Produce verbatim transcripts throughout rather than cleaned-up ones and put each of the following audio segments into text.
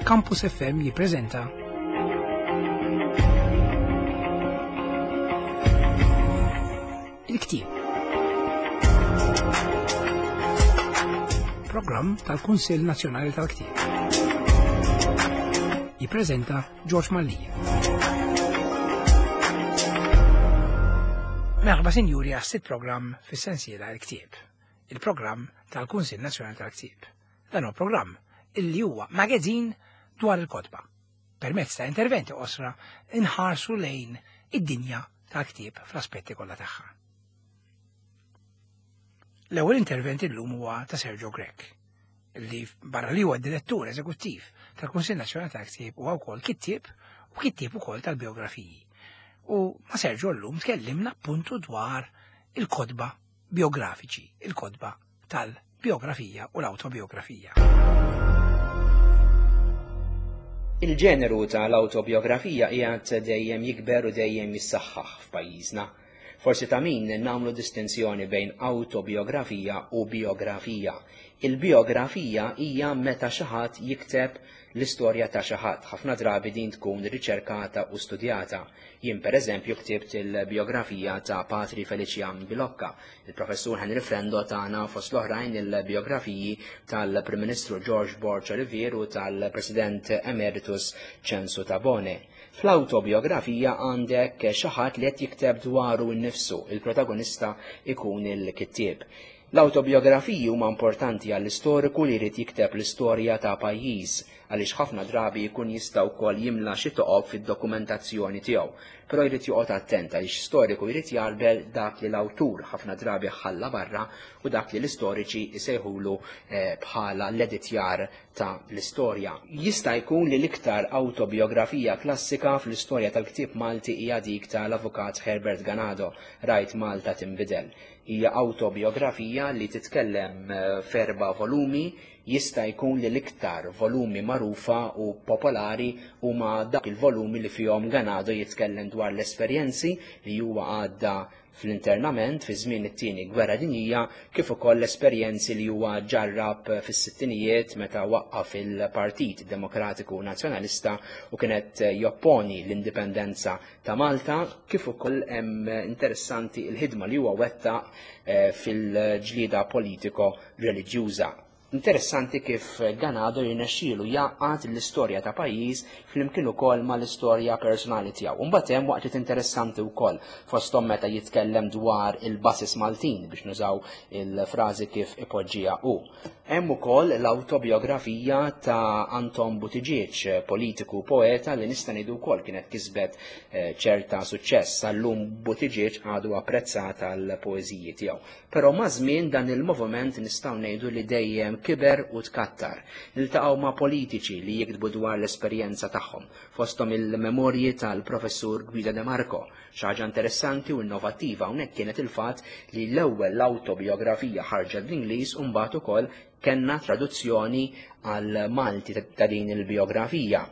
Campus F M jippreżenta Il-Ktieb. Programm tal-Kunsill Nazzjonali tal-Ktieb. Jippreżenta George Mallia. Merħba sinjuri għas-sitt programm fis-sensiela Il-Ktieb, il-programm tal-Kunsill Nazzjonali tal-Ktieb. Dan huwa programm illi huwa magazin dwar il-kotba. Permezz ta' interventi qosra inħarsu lejn id-dinja tal-ktieb fl-aspetti kollha tagħha. L-ewwel intervent illum huwa ta' Sergio Grech, li barra li huwa direttur eżekuttiv tal-Kunsill Nazzjonali tal-Ktieb huwa wkoll kittieb u kittieb ukoll tal-biografiji. U ma' Sergio llum tkellimna appuntu dwar il-kotba biografiċi, il-kotba tal-biografija u l-autobiografija. Il-ġeneru tal-autobiografija qiegħed dejjem jikber u dejjem jissaħħaħ f'pajjiżna. Forsi ta' min nagħmlu distinzjoni bejn autobiografija u biografija. Il-biografija hija meta xi ħadd jikteb l-istorja ta' xi ħadd. Ħafna drabi din tkun riċerkata u studjata. Jien pereżempju ktibt il-biografija ta' Patri Felician Bilocca. Il-professur Henry Frendo tagħna fost l-oħrajn il-biografiji tal-Prim Ministru George Borg Olivier u tal-President Emeritus Ċensu Tabone. Fl-autobiografija għandek xi ħadd li qed jikteb dwaru nnifsu, il-protagonista ikun il-kittieb. L-autobiografiji huma importanti għall-istoriku li jrid jikteb l-istorja ta' pajjiż, għaliex ħafna drabi jkun jista' wkoll jimla xi toqob fid-dokumentazzjoni tiegħu. Però jrid joqgħod attent għaliex storiku jrid jarbel dak li l-awtur ħafna drabi ħalla barra u dak li l-istoriċi jsejħulu, eh, bħala l-editjar ta' l-istorja. Jista' jkun li l-iktar autobiografija klassika fl-istorja tal-ktieb Malti hija dik tal-avukat Herbert Ganado, Rajt Malta Tinbidel. Hija autobiografija li titkellem, eh, f'erba' volumi. Jista' jkun li l-iktar volumi magħrufa u popolari huma dak il-volumi li fihom Ganado jitkellem dwar l-esperjenzi li huwa għadda fl-internament fi żmien it-tieni gwerra dinjija, kif ukoll l-esperjenzi li huwa ġarrab fis-sittinijiet meta waqqaf il-Partit Demokratiku Nazzjonalista u kienet jopponi l-indipendenza ta' Malta, kif ukoll hemm interessanti l-ħidma li huwa wettaq, eh, fil-ġlieda politiko reliġjuża. Interessanti kif Ganado jirnexxielu jgħaqqad l-istorja ta' pajjiż flimkien ukoll mal-istorja personali tiegħu. Imbagħad hemm waqtiet interessanti wkoll fosthom meta jitkellem dwar il-basis Maltin biex nużaw il-frażi kif ipoġġiha hu. Hemm ukoll l-autobiografija ta' Anton Buttigieg, politiku poeta li nista' ngħidu wkoll kienet kisbet, eh, ċerta suċċess. Sal-lum Buttigieg għadu apprezzat għall-poeżiji tiegħu. Però ma' żmien dan il-moviment nistgħu ngħidu li dejjem kiber u tkattar. Niltaqgħu ma' politiċi li jiktbu dwar l-esperjenza tagħhom, fosthom il-memorji tal-professur Guido De Marco. Xi ħaġa interessanti u innovattiva hawnhekk kienet il-fatt li l-ewwel l-autobiografija ħarġet bl-Ingliż u mbagħad ukoll kellna traduzzjoni għal Malti ta' din il-biografija.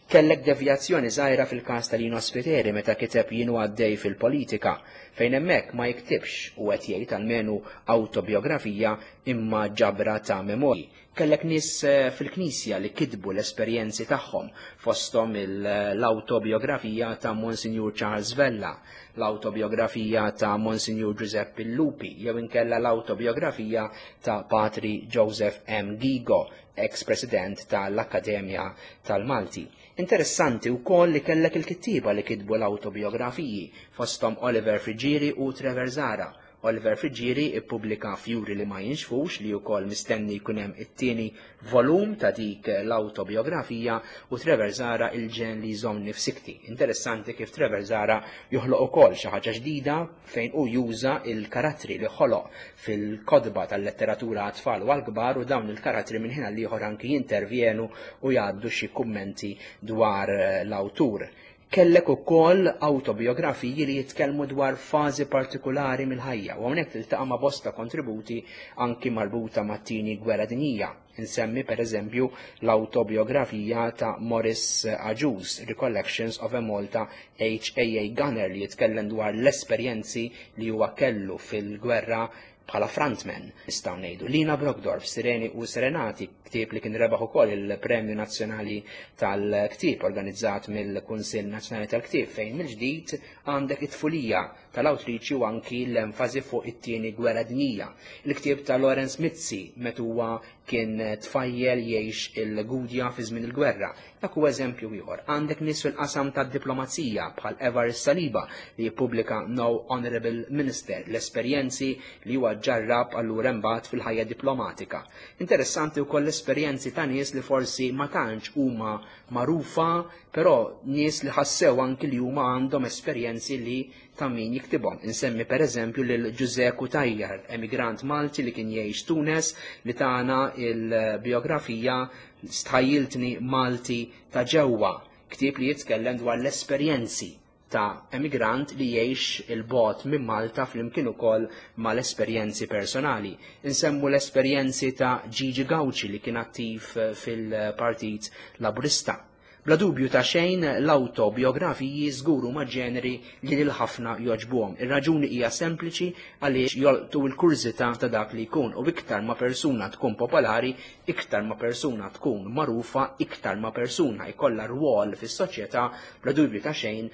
Kellek devjazzjoni żgħira fil-każ ta' Lino Spiteri meta kiteb Jien u għaddej fil-politika, fejn hemmhekk ma jiktibx u qed jgħid almenu autobiografija imma ġabra ta' memorji. Kellek nies, eh, fil-Knisja li kitbu l-esperjenzi tagħhom, fosthom il-, l-autobiografija ta' Monsignor Charles Vella, l-autobiografija ta' Monsignor Giuseppe Lupi, jew inkella l-autobiografija ta' Patri Joseph M. Ghigo, ex-president tal-Akkademja tal-Malti. Interessanti wkoll li kellek il-kittieba li kitbu l-autobiografiji, fosthom Oliver Friggieri u Trevor Zahra. Oliver Friggieri ippubblika Fjuri li ma jinxfux, li wkoll mistenni jkun hemm it-tieni volum ta' dik l-autobiografija, u Trevor Zahra Il-ġen li jżommni f'sikti. Interessanti kif Trevor Zahra joħloq ukoll xi ħaġa ġdida fejn hu juża il-karattri li ħoloq fil-kotba tal-letteratura għat-tfal u għall-kbar, u dawn il-karattri minn ħin għal ieħor anki jintervjenu u jgħaddu xi kummenti dwar l-awtur. Kellek ukoll autobiografiji li jitkellmu dwar fażi partikolari mill-ħajja, u hawnhekk tiltaqa' ma' bosta kontributi anki marbuta mat-tieni gwerra dinjija. Insemmi pereżempju l-autobiografija ta' Maurice Agius, Recollections of a Malta H A A Gunner, li jitkellem dwar l-esperjenzi li huwa kellu fil-gwerra bħala frontman, nistgħu ngħidu. Lina Brockdorff, Sireni u Serenati, ktieb li kien rebaħ ukoll il-Premju Nazzjonali tal-Ktieb organizzat mill-Kunsill Nazzjonali tal-Ktieb, fejn mill-ġdid għandek it-tfulija tal-awtriċi u anki l-enfasi fuq it-tieni gwerra dinjija. Il-ktieb ta' Lawrence Mizzi meta huwa kien tfajjel jgħix il-Gudja fi żmien il-gwerra. Dak huwa eżempju ieħor. Għandek nies fil-qasam tad-diplomazija bħal Evarist Saliba li jippubblika No Honorable Minister, l-esperjenzi li huwa ġarrab allura imbagħad fil-ħajja diplomatika. Interessanti wkoll l-esperjenzi ta' nies li forsi ma tantx huma magħrufa, però nies li ħassew anki li huma għandhom esperjenzi li ta' min jiktibhom. Insemmi per eżempju lil Ġużè Cutajar, emigrant Malti li kien jgħix Tunes, li tagħna il-biografija Stħajjiltni Malti ta' ġewwa, ktieb li jitkellem dwar l-esperjenzi ta' emigrant li jgħix il-bot minn Malta flimkien ukoll mal-esperjenzi personali. Insemmu l-esperjenzi ta' Gigi Gauci li kien attiv fil-Partit Laburista. Bla dubju ta' xejn, l-autobiografiji żguru ma' ġeneri li lil ħafna joġbuhom. Ir-raġuni hija sempliċi, għaliex jolqtu l-kurżità ta' dak li jkun, u iktar ma' persuna tkun popolari, iktar ma' persuna tkun magħrufa, iktar ma' persuna jkollha rwol fis-soċjetà, bla dubju ta' xejn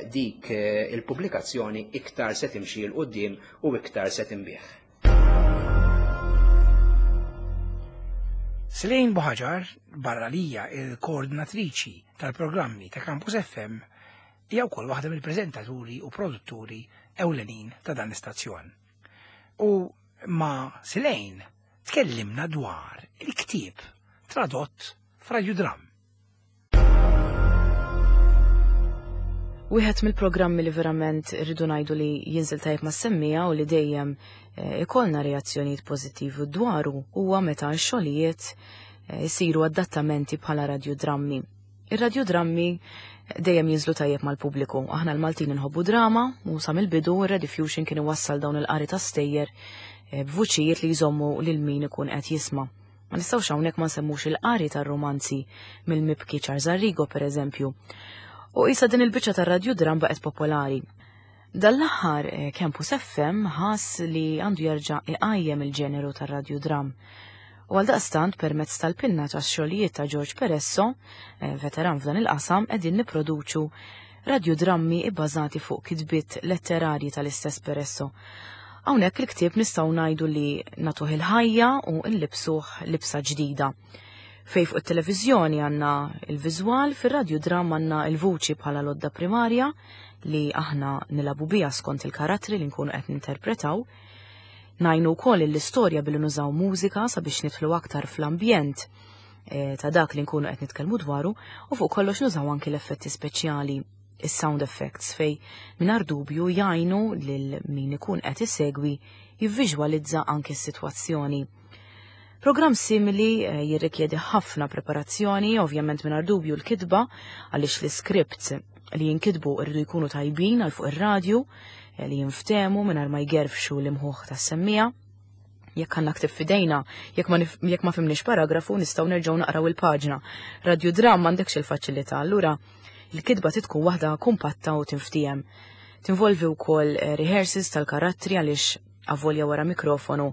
dik il-pubblikazzjoni iktar se timxi 'l quddiem u iktar se tinbih. Selene Buhagiar, barra lija il-koordinatriċi tal-programmi ta' Campus F M, hija wkoll waħda mill-preżentaturi u produtturi ewlenin ta' dan l-istazzjon. U ma' Selene tkellimna dwar il-ktieb tradott f'radjudram. Wieħed mill-programmi li verament rridu ngħidu li jinżel tajjeb mas-semmija u li dejjem ikollna reazzjonijiet pożittivi dwaru huwa meta x-xogħlijiet isiru adattamenti bħala radjudrammi. Ir-radjudrammi dejjem jinżlu tajjeb mal-pubbliku. Aħna l-Maltin inħobbu drama u sa mill-bidu ir-Rediffusion kien iwassal dawn il-qari ta' stejjer b'vuċijiet li jżommu lil min ikun qed jisma'. Ma nistgħux hawnhekk ma nsemmux il-qari tar-romanzi mill-mibki Charles Arrigo pereżempju. U issa din il-biċċa tar-radjudram baqgħet popolari. Dal-aħħar Campus F M ħass li għandu jerġa' iqajjem il-ġeneru tar-radjudram. U għaldaqstant permezz tal-pinna tax-xogħlijiet ta' George Peresso, veteran f'dan il-qasam, qegħdin nipproduċu radjudrammi bbażati fuq kitbiet letterarji tal-istess Peresso. Hawnhekk il-ktieb nistgħu ngħidu li nagħtuh il-ħajja u nlibsuh libsa ġdida. Fej fuq it-televiżjoni għandna il-viżwal, fir-radjudram għandna il-vuċi bħala lodda primarja li aħna nilabu biha skont il-karattri li nkunu qed ninterpretaw. Ngħinu wkoll l-istorja billi nużaw mużika sabiex nidħlu aktar fl-ambjent ta' dak li nkunu qed nitkellmu dwaru, u fuq kollox nużaw anki l-effetti speċjali, is-sound effects, fej mingħajr dubju jgħinu lil min ikun qed isegwi jivviżwalizza anki s-sitwazzjoni. Programm simili jirrikjedi ħafna preparazzjoni, ovvjament mingħajr dubju l-kitba, għaliex l-iskript li jinkitbu rridu jkunu tajbin għal fuq ir-radju, li jinftemu mingħajr ma jgerfxu l-imħuħ tas-semmija. Jekk għandna ktib f'idejna, jekk ma nif-, jekk ma fimniex paragrafu, nistgħu nerġgħu naqraw il-paġna. Radjudram m'għandekx il-faċilità, allura il-kitba tkun waħda kumpatta u tinftiem. Tinvolvi wkoll rehearsals tal-karattri għaliex avolja wara mikrofonu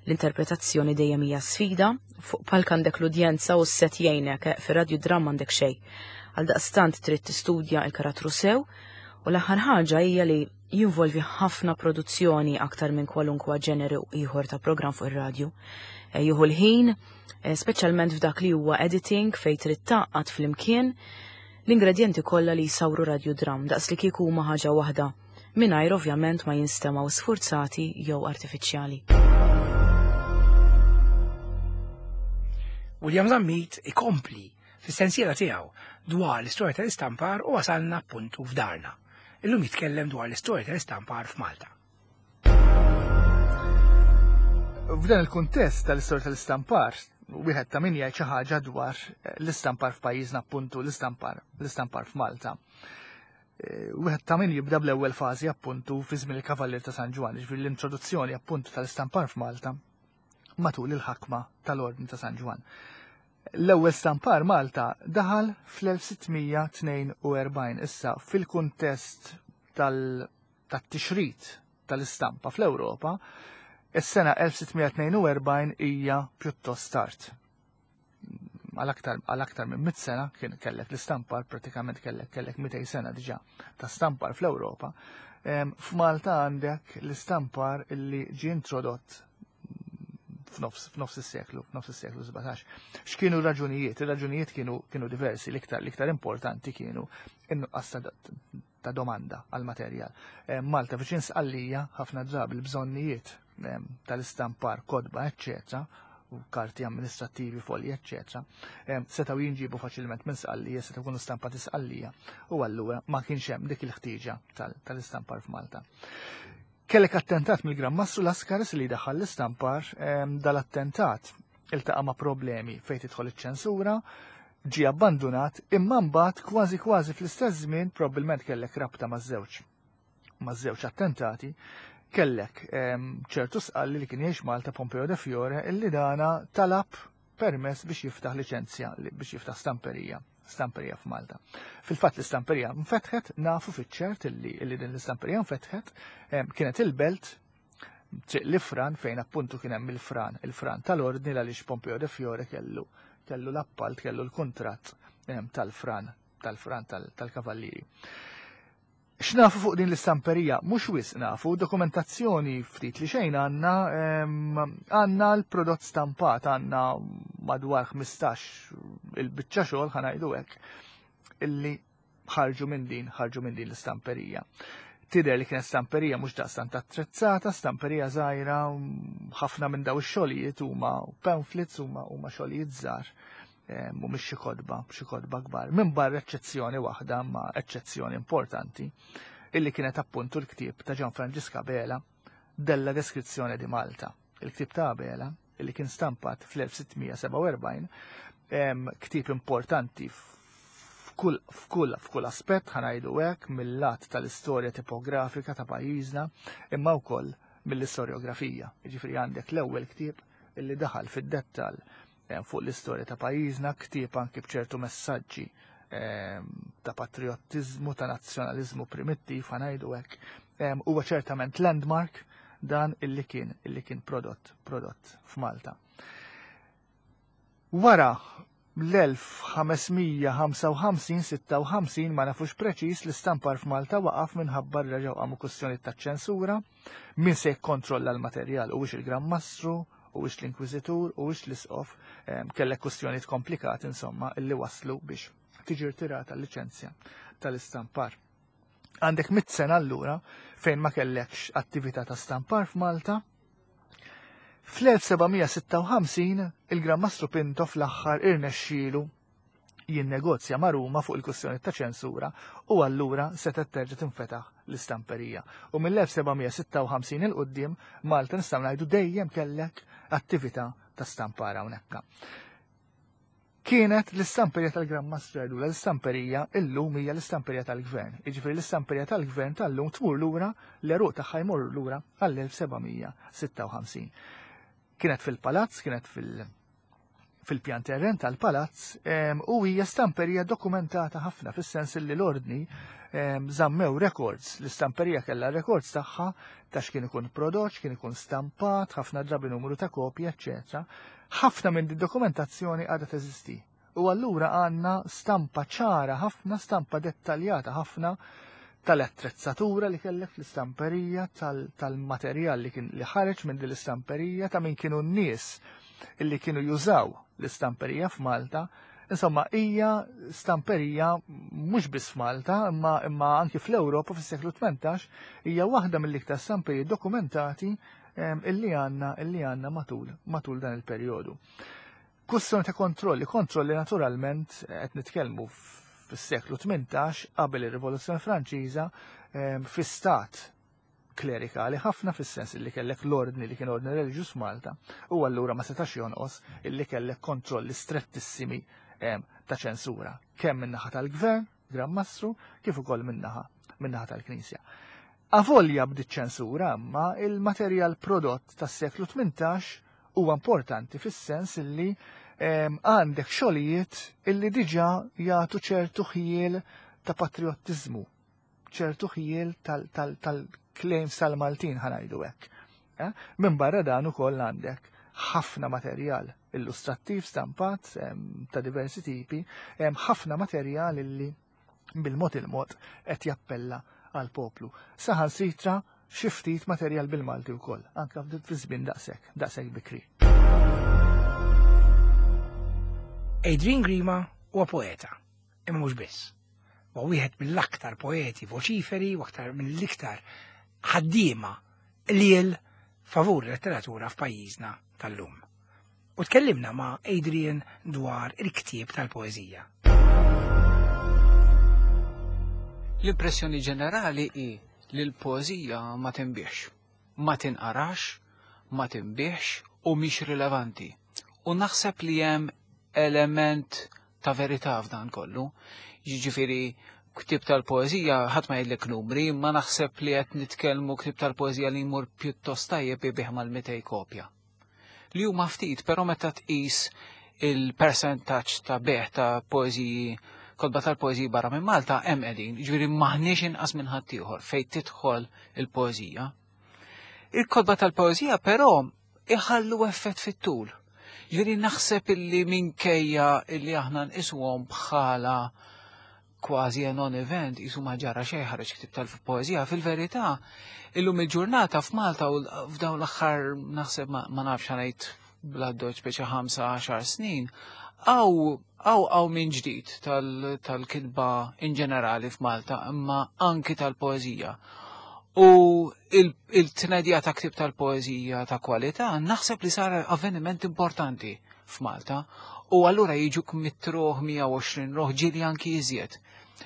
l-interpretazzjoni dejjem hija sfida, fuq palk għandek l-udjenza u s-set jgħinek, fir-radjudram m'għandek xejn. Għaldaqstant trid tistudja l-karattru sew, u l-aħħar ħaġa hija li jinvolvi ħafna produzzjoni aktar minn kwalunkwa ġeneru ieħor ta' programm fuq ir-radju. Jieħu l-ħin, speċjalment f'dak li huwa editing fejn trid tgħaqqad flimkien l-ingredjenti kollha li jsawru radjudram daqs li kieku huma ħaġa waħda, mingħajr ovvjament ma jinstemgħu sfurzati jew artifiċjali. William Zammit ikompli fis-sensiela tiegħu dwar l-istorja tal-istampar u wasalna appuntu f'darna. Illum jitkellem dwar l-istorja tal-istampar f'Malta. F'dan il-kuntest tal-istorja tal-istampar, wieħed ta' min jgħid xi ħaġa dwar l-istampar f'pajjiżna, appuntu l-istampar, l-istampar f'Malta. Wieħed ta' min jibda bl-ewwel fażi appuntu fi żmien il-Kavallier ta' San Ġwann, jiġifieri l-introduzzjoni appuntu tal-istampar f'Malta matul il-ħakma tal-Ordni ta' San Ġwann. L-ewwel stampar Malta daħal fl-elf sittmija tnejn u erbgħin. Issa fil-kuntest tal-, tat-tixrid tal-istampa fl-Ewropa, Is-sena elf sitt mija tnejn u erbgħin hija pjuttost tard. Għal aktar, għal aktar minn mitt sena kien kellek l-istampar, pratikament kellek, kellek mitejn sena diġà ta' stampar fl-Ewropa. Em, F'Malta għandek l-istampar illi ġie introdott f'nofs, f'nofs is-seklu, f'nofs is-seklu sbatax. X'kienu r-raġunijiet? Ir-raġunijiet kienu, kienu diversi, l-iktar, l-iktar importanti kienu in-nuqqas ta', ta' domanda għal materjal. Em, Malta viċin Sqallija ħafna drabi l-bżonnijiet, em, tal-istampar, kotba, eċċetera, u karti amministrativi, folji, eċċetera, em, setgħu jinġibu faċilment minn Sqallija, setgħu jkunu stampati Sqallija, u allura ma kienx hemm dik il-ħtieġa tal-, tal-istampar f'Malta. Kellek attentat mill-Gran Mastru Lascaris li daħal l-istampar, em, dal-attentat iltaqa' ma' problemi fejn tidħol iċ-ċensura, ġie abbandunat, imma mbagħad kważi kważi fl-istess żmien probabbilment kellek rabta maż-żewġ, maż-żewġ attentati, kellek, em, ċertu Sqalli li kien jgħix Malta, Pompeo de Fiore, illi dana talab permess biex jiftaħ liċenzja, li-, biex jiftaħ stamperija, stamperija f'Malta. Fil-fatt l-istamperija nfetħet, nafu fiċ-ċert illi, illi din l-istamperija nfetħet, em, kienet il-belt triq l-Ifran fejn appuntu kien hemm il-fran, il-fran tal-ordni għaliex Pompeo de Fiore kellu, kellu l-appalt, kellu l-kuntratt, em, tal-fran, tal-fran tal-, tal-kavallieri. X'nafu fuq din l-istamperija? Mhux wisq nafu, dokumentazzjoni ftit li xejn għandna, em, għandna l-prodott stampat, għandna madwar ħmistax il-biċċa xogħol ħa ngħidu hekk, illi ħarġu minn din, ħarġu minn din l-istamperija. Tidher li kienet stamperija mhux daqstant attrezzata, stamperija żgħira, ħafna minn daw ix-xogħlijiet huma pamphlets, huma, huma xogħlijiet żgħar, em, mhumiex xi kotba, xi kotba kbar. Minn barra eċċezzjoni waħda, ma eċċezzjoni importanti, illi kienet appuntu l-ktieb ta' Gian Franġisk Abela, Della Descrizione di Malta. Il-ktieb ta' Abela, illi kien stampat fl-elf sitt mija sebgħa u erbgħin, em, ktieb importanti f'kull, f'kull, f'kull aspett, ħa ngħidu hekk, mill-lat tal-istorja tipografika ta' pajjiżna, imma wkoll mill-istorjografija. Jiġifieri għandek l-ewwel ktieb illi daħal fid-dettall, eh, fuq l-istorja ta' pajjiżna, ktieb anki b'ċertu messaġġi, ehm, ta' patriottiżmu, ta' nazzjonaliżmu primittiv, ħa ngħidu hekk. Ehm, huwa ċertament landmark dan illi kien, illi kien prodott, prodott f'Malta. Wara l-elf ħames mija ħamsa u ħamsin, sitta u ħamsin, ma nafux preċiż, l-istampar f'Malta waqaf minħabba reġgħu qamu kwistjoni ta' ċensura, min se jikkontrolla l-materjal, u il-Gran Mastru, u l-Inkwiżitur, u l-Isqof, em, kellek kwistjonijiet komplikati insomma illi waslu biex tiġi rtirata l-liċenzja tal-istampar. Għandek mitt sena allura fejn ma kellekx attività ta' stampar f'Malta. Fl-elf seba' mija sitta u ħamsin il-Gran Mastru Pinto fl-aħħar irnexxielu jinnegozja ma' Ruma fuq il-kwistjoni ta' ċensura u allura setgħet terġa' tinfetaħ l-istamperija. U mill-elf seba' mija sitta u ħamsin il quddiem Malta nistgħu ngħidu dejjem kellek attività ta' stampar hawnhekk. Kienet l-istamperija tal-Gran Mastru jgħidulha, l-istamperija illum hija l-istamperija tal-Gvern. Jiġifieri l-istamperija tal-Gvern tal-lum tmur lura, l-għeruq tagħha jmur lura għall-elf seba' mija sitta u ħamsin. Kienet fil-palazz, kienet fil-, fil-pjan terren tal-palazz, em, u hija stamperija dokumentata ħafna fis-sens li l-ordni, em, żammew records, l-istamperija kellha records tagħha ta' x'kien ikun prodott, x'kien ikun stampat, ħafna drabi numru ta' kopji, eċċetera. Ħafna minn din dokumentazzjoni għadha teżisti. U allura għandna stampa ċara ħafna, stampa dettaljata ħafna tal-attrezzatura li kellek fl-istamperija, tal-, tal-materjal li kien li ħareġ minn din l-istamperija, ta' min kienu n-nies illi kienu jużaw l-istamperija f'Malta. Insomma, hija stamperija mhux biss f'Malta, imma, imma anki fl-Ewropa fis-seklu tmintax hija waħda mill-iktar stamperiji dokumentati, em, illi għandna, illi għandna matul, matul dan il-perjodu. Kwestjoni ta' kontrolli, kontrolli naturalment qed nitkellmu fis-seklu tmintax qabel ir-Rivoluzzjoni Franċiża, em, fi stat klerikali ħafna fis-sens illi kellek l-ordni li kien ordni reliġjuż Malta, u allura ma setax jonqos illi kellek kontrolli strettissimi, em, ta' ċensura, kemm min-naħa tal-Gvern, Gran Mastru, kif ukoll min-naħa, min-naħa tal-Knisja. Avolja bdiet ċensura, imma il-materjal prodott tas-seklu tmintax huwa importanti fis-sens illi, em, għandek xogħlijiet illi diġà jagħtu ċertu ħjiel ta' patriottiżmu, ċertu ħjiel tal-, tal-, tal-claims tal-Maltin ħa ngħidu hekk. Eh? Minn barra dan ukoll għandek ħafna materjal illustrattiv stampat ta' diversi tipi, hemm ħafna materjal illi bil-mod il-mod qed jappella għal poplu. Saħansitra xi ftit materjal bil-Malti wkoll, anke fi żmien daqshekk, daqshekk bikri. Adrian Grima huwa poeta, imma mhux biss. Huwa wieħed mill-aktar poeti voċiferi u aktar mill-iktar ħaddiema liel favur letteratura f'pajjiżna tal-lum. U tkellimna ma' Adrian dwar il-ktieb tal-poeżija. L-impressjoni ġenerali hi li l-poeżija ma tinbiex, ma tinqarax, ma tinbiex u mhix rilevanti. U naħseb li hemm element ta' verità f'dan kollu. Jiġifieri ktieb tal-poeżija ħadd ma jgħidlek numri, ma naħseb li qed nitkellmu ktieb tal-poeżija li jmur pjuttost tajjeb ibih mal-mitej kopja. Li huma ftit, però meta tqis il-persentaġġ ta' beħ ta' poeżiji, kotba tal-poeżiji barra minn Malta hemm qegħdin, jiġifieri m'aħniex inqas minn ħaddieħor fejn tidħol il-poeżija. Il-kotba tal-poeżija però iħallu effett fit-tul. Jiġifieri naħseb illi minkejja illi aħna nqisuhom bħala kważi a non-event, jisu ma ġara xejn ħareġ ktieb tal-poeżija, fil-verità illum il-ġurnata f'Malta u f'dawn l-aħħar naħseb ma nafx ngħid bla doċ speċi ħamsa għaxar snin, għaw għaw għaw minn ġdid tal-kitba in ġenerali f'Malta, imma anki tal-poeżija. U il-tnedija ta' ktieb tal-poeżija ta' kwalità naħseb li sar avveniment importanti f'Malta u allura jiġuk mitruħ mija u għoxrin ruħ ġieli anki iżjed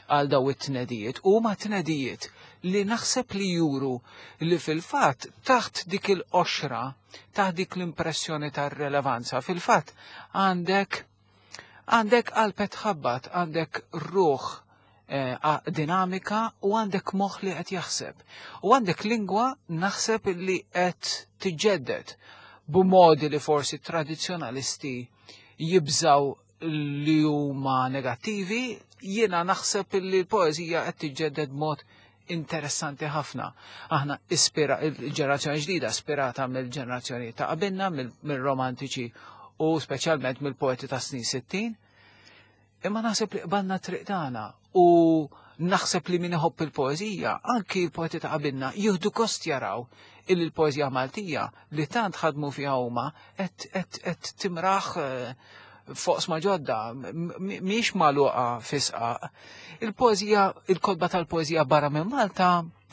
għal daw it-tnedijiet. U ma tnedijiet li naħseb li juru li fil-fatt taħt dik il-qoxra, taħt dik l-impressjoni tar-relevanza, fil-fatt għandek għandek qalbet ħabbat, għandek ruħ eh, dinamika u għandek moħħ li qed jaħseb. U għandek lingwa naħseb li qed tiġġedded b'modi li forsi tradizzjonalisti jibżaw li huma negattivi, jiena naħseb li l-poeżija qed tiġġedded b'mod interessanti ħafna. Aħna ispira il-ġenerazzjoni ġdida ispirata mill-ġenerazzjoni ta' qabilna, mill-romantiċi u speċjalment mill-poeti ta' snin sittin. Imma naħseb li qbalna triq tagħna u naħseb li min iħobb il-poeżija, anki l-poeti ta' qabilna jieħdu kost jaraw illi l-poeżija Maltija li tant ħadmu fiha huma qed timraħ fuq sma ġodda, mhix magħluqa fisqa. Il-poeżija, il-kotba tal-poeżija barra minn Malta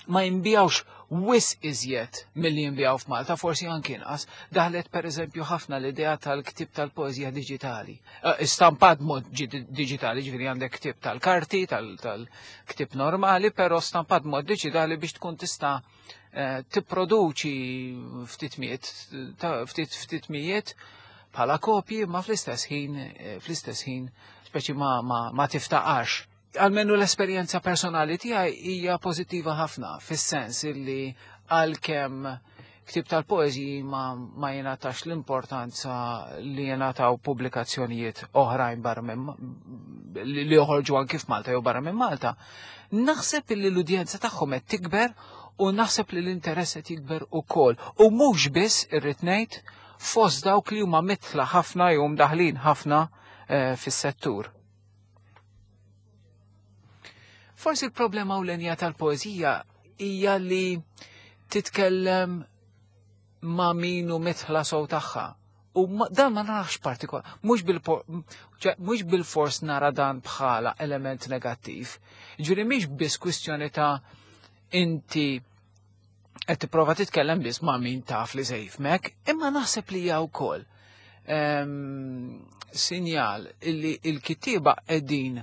ma jinbijawx wis iżjed milli jinbijaw f'Malta, forsi anki inqas. Daħlet pereżempju ħafna l-idea tal-ktieb tal-poeżija diġitali. Stampat mod diġitali, ġifieri għandek ktieb tal-karti, tal-ktieb normali, però stampat mod diġitali biex tkun tista' tipproduċi ftit mijiet, ftit ftit mijiet bħala kopji, ma fl-istess ħin, fl-istess ħin speċi ma, ma, ma tiftaqax. Almenu l-esperjenza personali tiegħi hija pożittiva ħafna, fis-sens illi għalkemm ktieb tal-poeżiji ma, ma jingħatax l-importanza li jingħataw pubblikazzjonijiet oħrajn barra minn li joħorġu anki f'Malta jew barra minn Malta, naħseb illi l-udjenza tagħhom qed tikber u naħseb li l-interess qed jikber ukoll. U mhux biss irrid ngħid fost dawk li huma mitla ħafna jew mdaħlin ħafna eh, fis-settur. Forsi l-problema ewlenija tal-poeżija hija li titkellem ma' min hu mitħla sew tagħha. U dan ma narax partikolar, mhux bil-fors nara dan bħala element negattiv. Ġifieri mhix biss kwistjoni ta' inti qed tipprova titkellem biss ma' min taf li se jifhmek, imma naħseb li hija wkoll sinjal illi l-kittieba qegħdin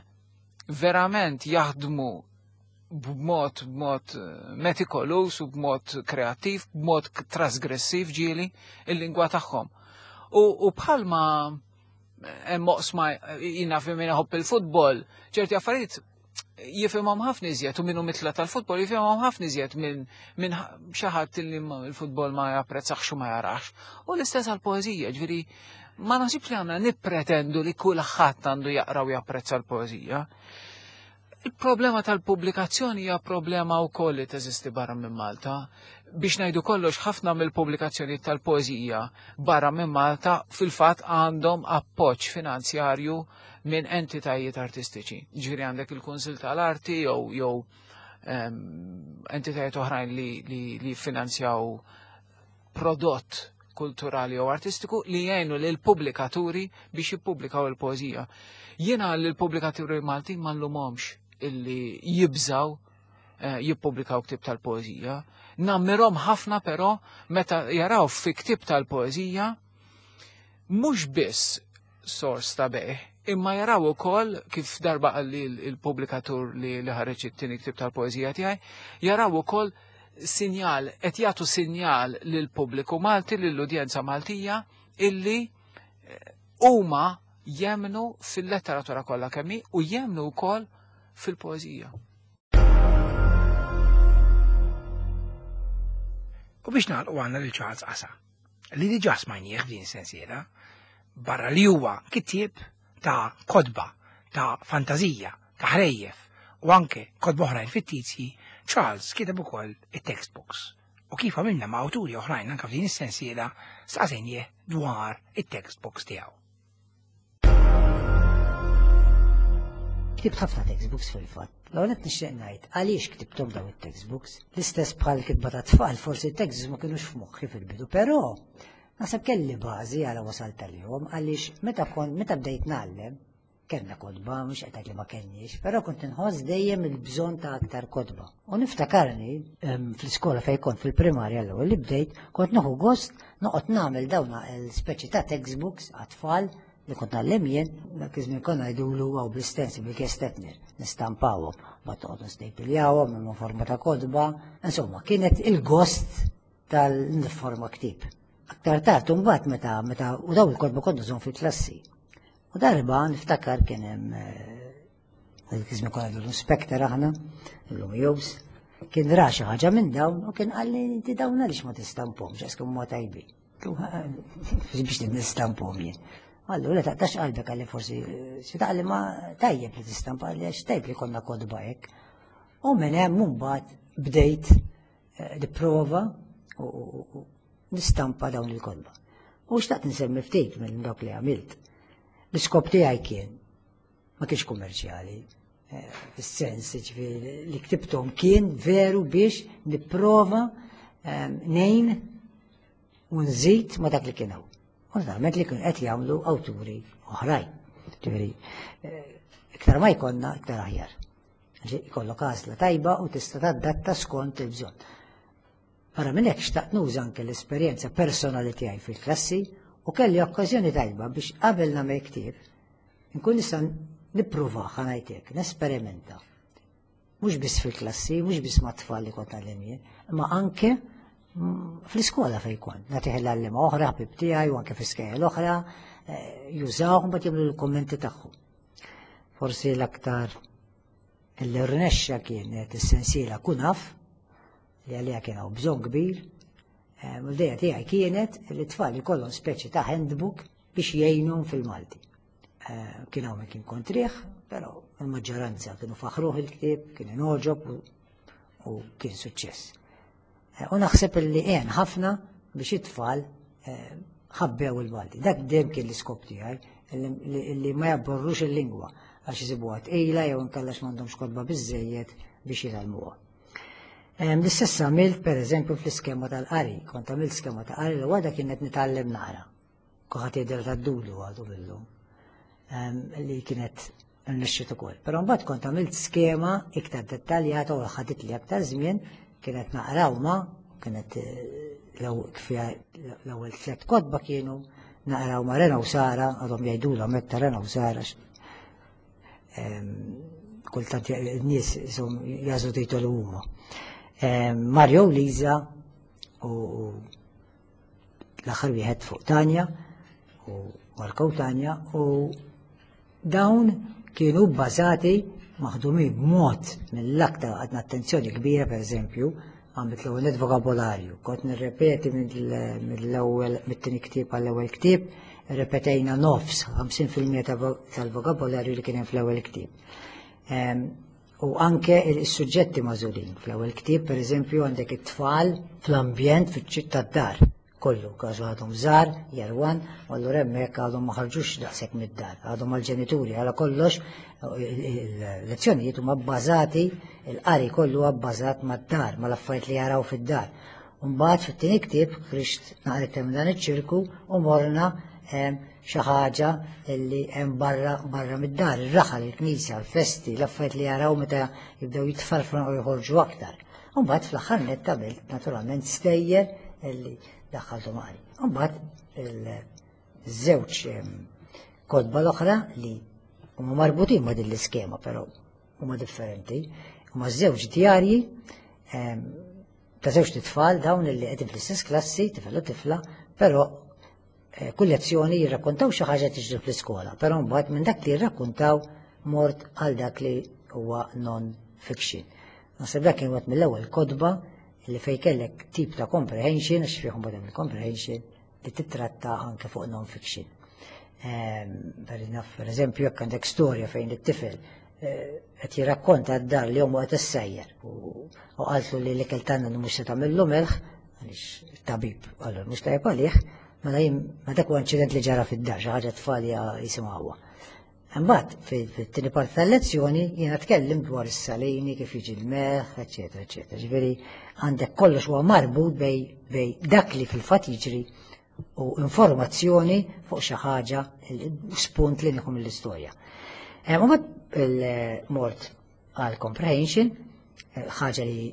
verament jaħdmu b'mod b'mod metikolus u b'mod kreattiv, b'mod trasgressiv ġieli il-lingwa tagħhom. U bħalma hemm oqsma jiena fi min iħobb il-futbol, ċerti affarijiet jifhimhom ħafna iżjed u minnu mitla tal-futbol jifhimhom ħafna iżjed minn minn xi ħadd li l-futbol ma japprezzax u ma jarax. U l-istess għall-poeżija, ġifieri ma naħsibx li għandna nippretendu li kulħadd għandu jaqra u japprezza l-poeżija. Il-problema tal-pubblikazzjoni hija problema wkoll li teżisti barra minn Malta. Biex ngħidu kollox, ħafna mill-pubblikazzjoni tal-poeżija barra minn Malta fil-fatt għandhom appoġġ finanzjarju minn entitajiet artistiċi. Ġifieri għandek il-Kunsill tal-Arti jew jew ehm, entitajiet oħrajn li, li, li finanzjaw prodott kulturali jew artistiku li jgħinu lil pubblikaturi biex jippubblikaw il-poeżija. Jiena lil pubblikaturi Maltin ma nlumhomx illi jibżaw eh, jippubblikaw ktib tal-poeżija. Nammirhom ħafna però meta jaraw fi ktib tal-poeżija mhux biss sors ta' bejgħ, imma jaraw ukoll kif darba qalli il-pubblikatur li li ħareġ it-tieni ktib tal-poeżija tiegħi, jaraw ukoll sinjal, qed jagħtu sinjal lil pubbliku Malti, lill-udjenza Maltija illi eh, huma jemnu fil-letteratura kollha kemm hi u jemnu wkoll fil-poeżija. U biex nagħlqu għandna lil Charles Qasa, li diġà smajnieh f'din sensiela, barra li huwa kittieb ta' kotba, ta' fantażija, ta' ħrejjef u anke kotba oħrajn fittizji, Charles kiteb ukoll it-textbooks. U kif għamilna ma' awturi oħrajn anke f'din is-sensiela, staqsejnieh dwar it-textbooks tiegħu. Ktibt ħafna textbooks fil-fatt. L-ewwel qed nixtieq ngħid għaliex ktibthom dawn it-textbooks. L-istess bħal kitba ta' tfal, forsi t-textbooks ma kinux f'moħħi fil-bidu, però naħseb kelli bażi għala wasalt għalihom għaliex meta kont meta bdejt ngħallem kellna kotba, mhux qed ngħid li ma kellniex, però kont inħoss dejjem il-bżonn ta' aktar kotba. U niftakarni fl-iskola fejn kont fil-primarja l-ewwel li bdejt, kont nieħu gost noqgħod nagħmel dawn l-speċi ta' textbooks għat-tfal li kont ngħallem jien, dak iż-żmien konna ngħidulu għaw bl-istensi bil-kestetner, nistampawhom, ma toqgħod nistejpiljawhom imma forma ta' kotba, insomma kienet il-gost tal-forma ktib. Aktar tard imbagħad meta meta u daw il-kotba kont nużhom fil-klassi. U darba niftakar kien hemm dak iż-żmien konna ngħidulu inspector aħna, illum Jobs, kien ra xi ħaġa minn dawn u kien qalli inti dawn għaliex ma tistampomx għax huma tajbin. Biex nistampom jien. Allura taqtax qalbek għalli forsi xi taqli ma tajjeb li tistampa għalli għax tajjeb li konna kotba hekk. U minn hemm mbagħad bdejt nipprova u nistampa dawn il-kotba. U xtaqt nsemmi ftit minn dak li għamilt. L-iskop tiegħi kien ma kienx kummerċjali, fis-sens ġifieri li ktibthom kien veru biex nipprova ngħin u nżid ma dak li kien hawn. U naturalment li kien qed jagħmlu awturi oħrajn. Ġifieri, iktar ma jkollna iktar aħjar. Ikollok għażla tajba u tista' tadatta skont il-bżonn. Barra minn hekk xtaqt nuża anke l-esperjenza personali tiegħi fil-klassi u kelli okkażjoni tajba biex qabel nagħmel ktieb nkun nista' nippruvah ħa ngħid hekk, nesperimenta. Mhux biss fil-klassi, mhux biss mat-tfal li kont ngħallem jien, imma anke fl-iskola fejn kont. Nagħtih l-għalliema oħra, ħbib tiegħi u anke fl-iskejjel oħra, jużawhom mbagħad jagħmlu l-kummenti tagħhom. Forsi l-aktar li rnexxa kienet is-sensiela Kunaf, li għalija kien hawn bżonn kbir. L-idea tiegħi kienet li t-tfal ikollhom speċi ta' handbook biex jgħinhom fil-Malti. Kien hawn min kien kontrih, però il-maġġoranza kienu faħruh il-ktieb, kien inogħġob u kien suċċess. U naħseb li għen ħafna biex it-tfal ħabbew il-Malti. Dak dejjem kien l-iskop tiegħi li ma jabborrux il-lingwa għax isibuha tqila jew inkellax m'għandhomx kotba biżżejjed biex jitgħallmuha. L-istess għamilt pereżempju fl-iskema tal-qari, kont għamilt skema ta' qari li għadha kienet nitgħallem naqra. Kulħadd jidher tad-dudu għadu billu li kienet nixxiet ukoll. Però mbagħad kont għamilt skema iktar dettaljata u ħadit li aktar żmien, kienet naqraw ma, kienet l-ewwel tliet kotba kienu naqraw ma' Rena u Sara, għadhom jgħidulhom hekk ta' Rena u Sara. Kultant n-nies jażlu titolu huma. Mario u Liza u l-aħħar wieħed fuq Tanja u Marko u Tanja u dawn kienu bbażati maħdumin b'mod mill-aktar għadna attenzjoni kbira, per eżempju, għamilt l-ewwel net vokabolarju, kont nirrepeti mill-ewwel mit-tieni ktieb għall-ewwel ktieb, ripetejna nofs ħamsin fil-mija tal-vokabolarju li kien hemm fl-ewwel ktieb. U anke il-suġġetti magħżulin. Fl-ewwel ktieb, pereżempju, għandek it-tfal fl-ambjent fiċ-ċittà d-dar. Kollu, każu għadhom żgħar, year one, u allura hemmhekk għadhom ma ħarġux daqshekk mid-dar, għadhom mal-ġenituri, għala kollox il-lezzjonijiet huma bbażati, il-qari kollu huwa bbażat mad-dar, mal-affarijiet li jaraw fid-dar. Mbagħad fit-tieni ktieb ħriġt naqra iktar minn dan iċ-ċirku u morna xi ħaġa li hemm barra barra mid-dar, ir-raħal, il-knisja, l-festi, l-affarijiet li jaraw meta jibdew jitfarfru u joħorġu aktar. Mbagħad fl-aħħar nett għamilt naturalment stejjer li daħħaltu maqri. Mbagħad il-żewġ kotba l-oħra li huma marbutin ma' din l-iskema, però huma differenti, huma żewġ djarji ta' żewġ tfal dawn li qegħdin fl-istess klassi, tifel u tifla, però kull lezzjoni jirrakkontaw xi ħaġa tiġri fl-iskola, però mbagħad minn dak li jirrakkontaw mort għal dak li huwa non-fiction. Naħseb dak kien wieħed mill-ewwel kotba li fej kellek tip ta' comprehension, għax fihom bada mill-comprehension, li titratta anke fuq non-fiction. Per per eżempju, jekk għandek storja fejn it-tifel qed jirrakkonta d-dar li ommu qed issejjer u qaltlu li l-ikel tagħna mhux se tagħmillu melħ, għaliex tabib qallu mhux tajjeb għalih, mela jien ma dak huwa inċident li ġara fid-dar, xi ħaġa tfal jisimgħuha. Imbagħad fit-tieni parti tal-lezzjoni jiena tkellim dwar is-salini, kif jiġi l-melħ, eċetera, eċetera. Ġifieri għandek kollox huwa marbut bej bej dak li fil-fatt jiġri u informazzjoni fuq xi ħaġa, spunt li nieħu mill-istorja. U mbagħad il-mort għal comprehension, ħaġa li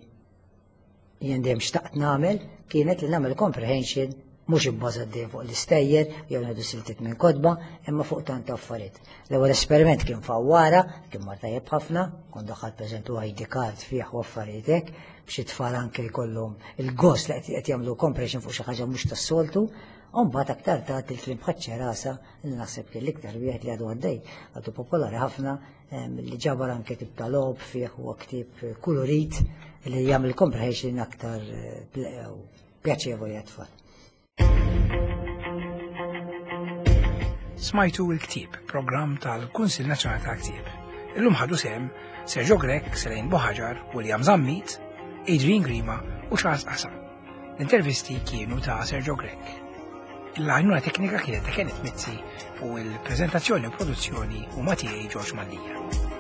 jien dejjem xtaqt nagħmel kienet li nagħmel comprehension mhux ibbażat dejjem fuq l-istejjer jew ngħidu siltiet minn kotba, imma fuq tant affarijiet. L-ewwel esperiment kien fawwara, kien mar tajjeb ħafna, kont daħħalt pereżempju I D card fih u affarijiet hekk biex it-tfal anke jkollhom il-gost li qed jagħmlu comprehension fuq xi ħaġa mhux tas-soltu. U mbagħad aktar tard il-film Ħaċċerasa, li naħseb kien l-iktar wieħed li għadu għaddej, għadu popolari ħafna, li ġabar anke tip ta' logħob fih u ktib kulurit li jagħmel comprehension aktar pjaċevoli għat-tfal. Smajtu il-Ktieb, programm tal-Kunsill Nazzjonali tal-Ktieb. Illum ħadu sehem Sergio Grech, Selene Buhagiar, William Zammit, Adrian Grima u Charles Asa. L-intervisti kienu ta' Sergio Grech. Il-għajnuna teknika kienet ta' Kenneth Mizzi u il-prezentazzjoni u produzzjoni huma tiegħi, George Mallia.